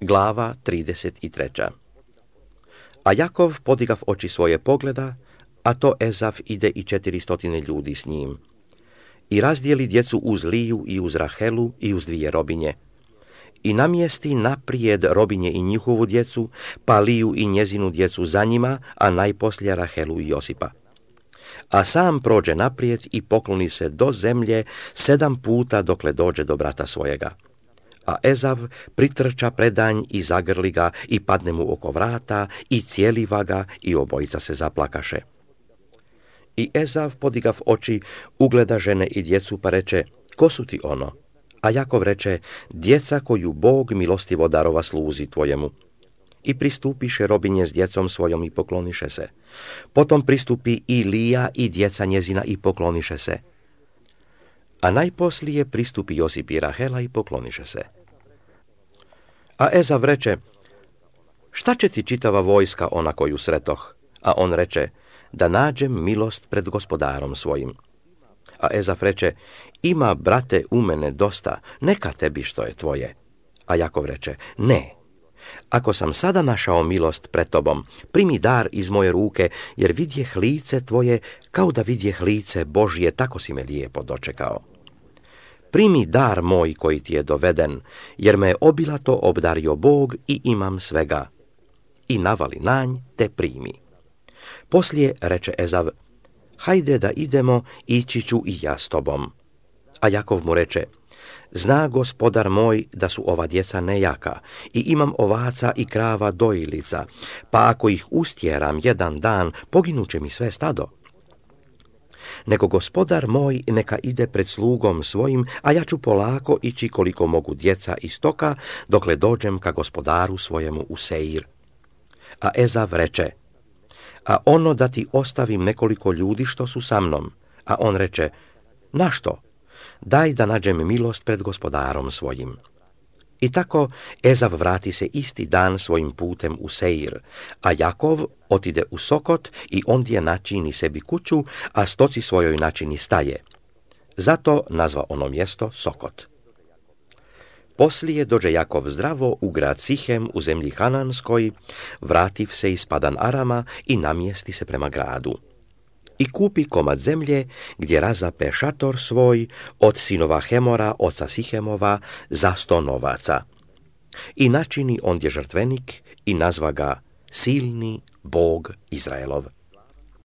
Glava 33. A Jakov podigav oči svoje pogleda, a to Ezav ide i 400 ljudi s njim. I razdijeli djecu uz Liju i uz Rahelu i uz 2 robinje. I namjesti naprijed robinje i njihovu djecu, pa Liju i njezinu djecu za njima, a najposlije Rahelu i Josipa. A sam prođe naprijed i pokloni se do zemlje 7 puta dokle dođe do brata svojega. A Ezav pritrča predanj i zagrli ga i padne mu oko vrata i cijeliva ga i obojica se zaplakaše. I Ezav podigav oči, ugleda žene i djecu pa reče, ko su ti ono? A Jakov reče, djeca koju Bog milostivo darova sluzi tvojemu. I pristupiše robinje s djecom svojom i pokloniše se. Potom pristupi i Lija i djeca njezina i pokloniše se. A najposlije pristupi Josip i Rahela i pokloniše se. A Ezav reče, šta će ti čitava vojska ona koju sretoh? A on reče, da nađem milost pred gospodarom svojim. A Ezav reče, ima, brate, u mene dosta, neka tebi što je tvoje. A Jakov reče, ne, ako sam sada našao milost pred tobom, primi dar iz moje ruke, jer vidjeh lice tvoje, kao da vidjeh lice Božje, tako si me lijepo dočekao. Primi dar moj koji ti je doveden, jer me je obilato obdario Bog i imam svega. I navali nanj, te primi. Poslije reče Ezav, hajde da idemo, ići ću i ja s tobom. A Jakov mu reče, zna gospodar moj da su ova djeca nejaka i imam ovaca i krava dojilica, pa ako ih ustjeram jedan dan, poginuće mi sve stado. Nego gospodar moj neka ide pred slugom svojim, a ja ću polako ići koliko mogu djeca i stoka, dokle dođem ka gospodaru svojemu u Seir. A Ezav reče, a ono da ti ostavim nekoliko ljudi što su sa mnom. A on reče, našto? Daj da nađem milost pred gospodarom svojim. I tako Ezav vrati se isti dan svojim putem u Seir, a Jakov otide u Sokot i ondje načini sebi kuću, a stoci svojoj načini staje. Zato nazva ono mjesto Sokot. Poslije dođe Jakov zdravo u grad Sihem u zemlji Hananskoj, vrativ se iz Padan Arama i namjesti se prema gradu. I kupi komad zemlje gdje razape šator svoj od sinova Hemora, oca Sihemova, za 100 novaca. I načini ondje žrtvenik i nazva ga Silni Bog Izraelov.